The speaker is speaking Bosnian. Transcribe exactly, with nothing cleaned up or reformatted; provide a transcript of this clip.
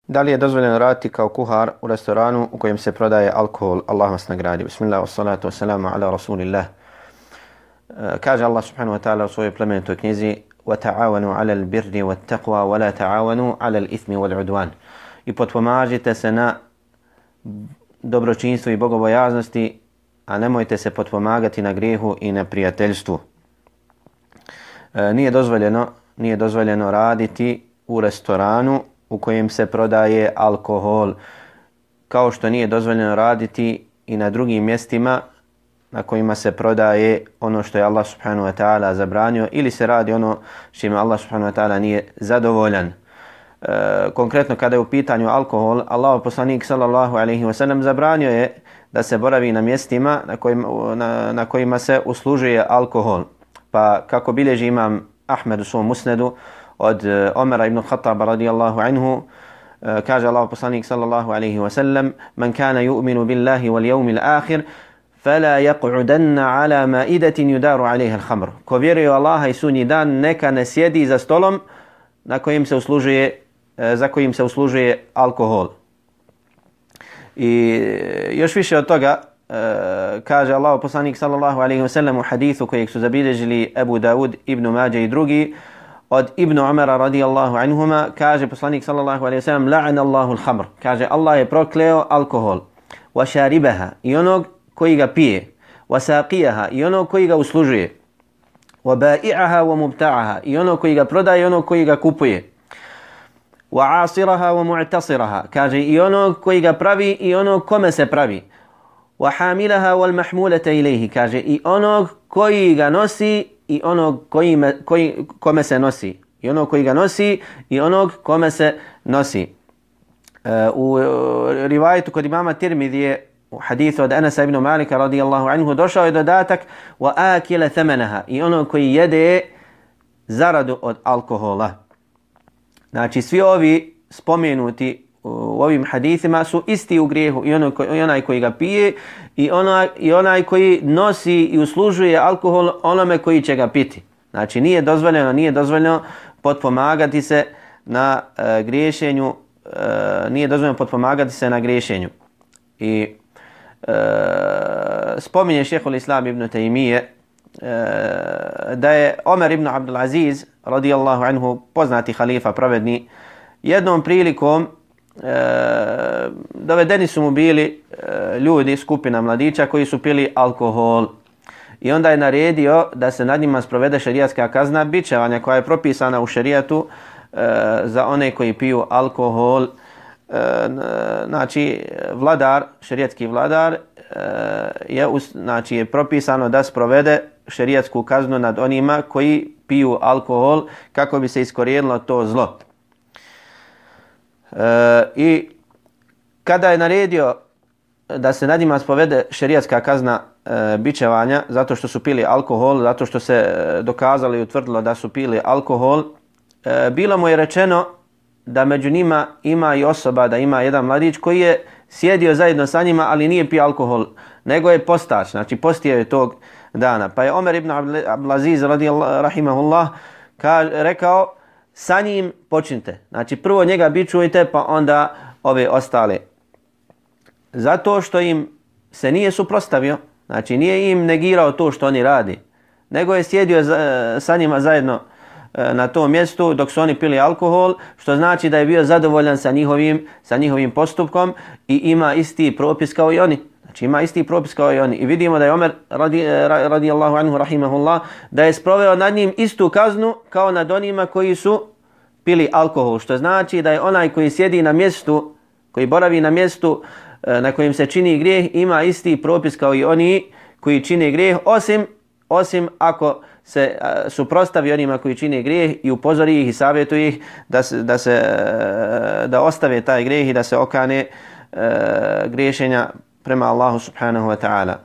Da li je dozvoljeno raditi kao kuhar u restoranu u kojem se prodaje alkohol? Allah vas nagradi. Bismillah, wassalatu wassalamu ala rasulillah. Kaže Allah subhanahu wa ta'ala u svojoj plemenitoj knjizi: وَتَعَاوَنُوا عَلَى الْبِرِّ وَالتَّقْوَى وَلَا تَعَاوَنُوا عَلَى الْإِثْمِ وَالْعُدْوَانِ. I potpomažite se na dobročinstvu i bogobojaznosti, a nemojte se potpomagati na grijehu i na prijateljstvu. E, nije dozvoljeno, nije dozvoljeno raditi u restoranu u kojem se prodaje alkohol, kao što nije dozvoljeno raditi i na drugim mjestima na kojima se prodaje ono što je Allah subhanahu wa ta'ala zabranio ili se radi ono s čime Allah subhanahu wa ta'ala nije zadovoljan. E, konkretno kada je u pitanju alkohol, Allahov poslanik sallallahu alejhi ve sellem zabranio je da se boravi na mjestima na kojima, na, na kojima se uslužuje alkohol. Pa kako bilježi imam Ahmed u svom musnedu od Omera ibn Khattaba radijallahu anhu, kaže Allahov poslanik sallallahu alejhi ve sellem: "Man kana yu'minu billahi wal yawmil akhir fala yaq'udanna ala ma'idatin yudaru 'alayha al-khamr." Ko vjeruje u Allaha i sudnji dan, neka ne sjedi za stolom na kojim se uslužuje za kojim se uslužuje alkohol. I još više od toga kaže Allahov poslanik sallallahu alejhi ve sellem u hadisu kojeg su zabilježili Abu Dawud, Ibn Mađe i drugi od Ibn Umara radijallahu anhuma, kaže poslanik sallallahu alejhi ve sellem: "La'ana Allahu al-khamr." Kaže Allah je prokleo alkohol, wa sharibaha, i onog koji ga pije, wa saqiyaha, i onog koji ga uslužuje, wa ba'i'aha wa mubta'aha, i onog koji ga prodaje i onog koji ga kupuje, wa 'asiraha wa mu'tasiraha, kaže i onog koji ga pravi i onog kome se pravi, wa hamilaha wal mahmulata ilayhi, kaže i onog koji ga nosi i onog koji me, koji, kome se nosi, i onog koji ga nosi i onog kome se nosi. Uh, u rivajetu kod imama Tirmidije u hadithu od Anasa ibn Malika radijallahu anhu došao je dodatak: "Wa akila thamanaha", i onog koji jede zaradu od alkohola. Znači svi ovi spomenuti u ovim hadithima su isti u grijehu, i, ono, i onaj koji ga pije i onaj, i onaj koji nosi i uslužuje alkohol onome koji će ga piti. Znači nije dozvoljeno, nije dozvoljeno potpomagati se na uh, griješenju, uh, nije dozvoljeno potpomagati se na griješenju. I uh, spominje šejhul Islam ibn Taymije uh, da je Omer ibn Abdul Aziz radijallahu anhu, poznati halifa pravedni, jednom prilikom E, dovedeni su mu bili e, ljudi, skupina mladića koji su pili alkohol, i onda je naredio da se nad njima sprovede šerijatska kazna bičevanja koja je propisana u šerijatu e, za one koji piju alkohol. E, znači vladar, šerijatski vladar e, je, znači, je propisano da sprovede šerijatsku kaznu nad onima koji piju alkohol kako bi se iskorijenilo to zlo. E, I kada je naredio da se nad njima spovede šerijatska kazna e, bičevanja zato što su pili alkohol, zato što se dokazalo i utvrdilo da su pili alkohol, e, bilo mu je rečeno da među njima ima i osoba, da ima jedan mladić koji je sjedio zajedno sa njima, ali nije pio alkohol, nego je postač, znači postio je tog dana. Pa je Omer ibn Abdulaziz radijallahu rahimahullah rekao: "Sa njim počnite, znači prvo njega bičujte, pa onda ove ostale." Zato što im se nije suprotstavio, znači nije im negirao to što oni radi, nego je sjedio za, sa njima zajedno e, na tom mjestu dok su oni pili alkohol, što znači da je bio zadovoljan sa njihovim, sa njihovim postupkom i ima isti propis kao i oni. Znači ima isti propis kao i oni. I vidimo da je Omer radi, radijallahu anhu rahimahullah da je sproveo nad njim istu kaznu kao nad onima koji su pili alkohol, što znači da je onaj koji sjedi na mjestu, koji boravi na mjestu na kojim se čini grijeh, ima isti propis kao i oni koji čine grijeh, osim, osim ako se suprotstavi onima koji čine grijeh i upozori ih i savjetuje ih da, se, da, se, da ostave taj grijeh i da se okane uh, griješenja prema Allahu subhanahu wa ta'ala.